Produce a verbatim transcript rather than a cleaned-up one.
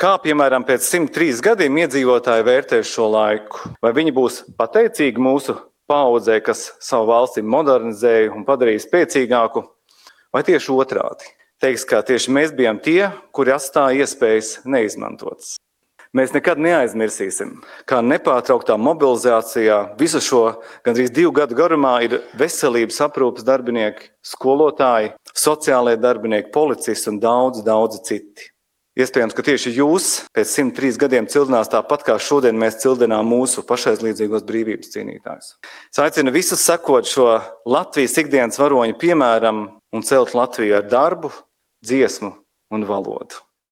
Kā, piemēram, pēc simt trīs gadiem iedzīvotāji vērtēs šo laiku? Vai viņi būs pateicīgi mūsu paaudzē, kas savu valsti modernizēja un padarīja spēcīgāku, vai tieši otrādi? Teiks, ka tieši mēs bijām tie, kuri atstāja iespējas neizmantotas. Mēs nekad neaizmirsīsim, kā nepārtrauktā mobilizācijā visu šo gandrīz divu gadu garumā ir veselības aprūpes darbinieki, skolotāji, sociālie darbinieki, policisti un daudz, daudzi citi. Iespējams, ka tieši jūs pēc simt trīs gadiem cildinās tāpat, kā šodien mēs cildinām mūsu pašaizliedzīgos brīvības cīnītājus. Es aicinu visus sekot šo Latvijas ikdienas varoņu piemēram un celt Latviju ar darbu, dziesmu un valodu.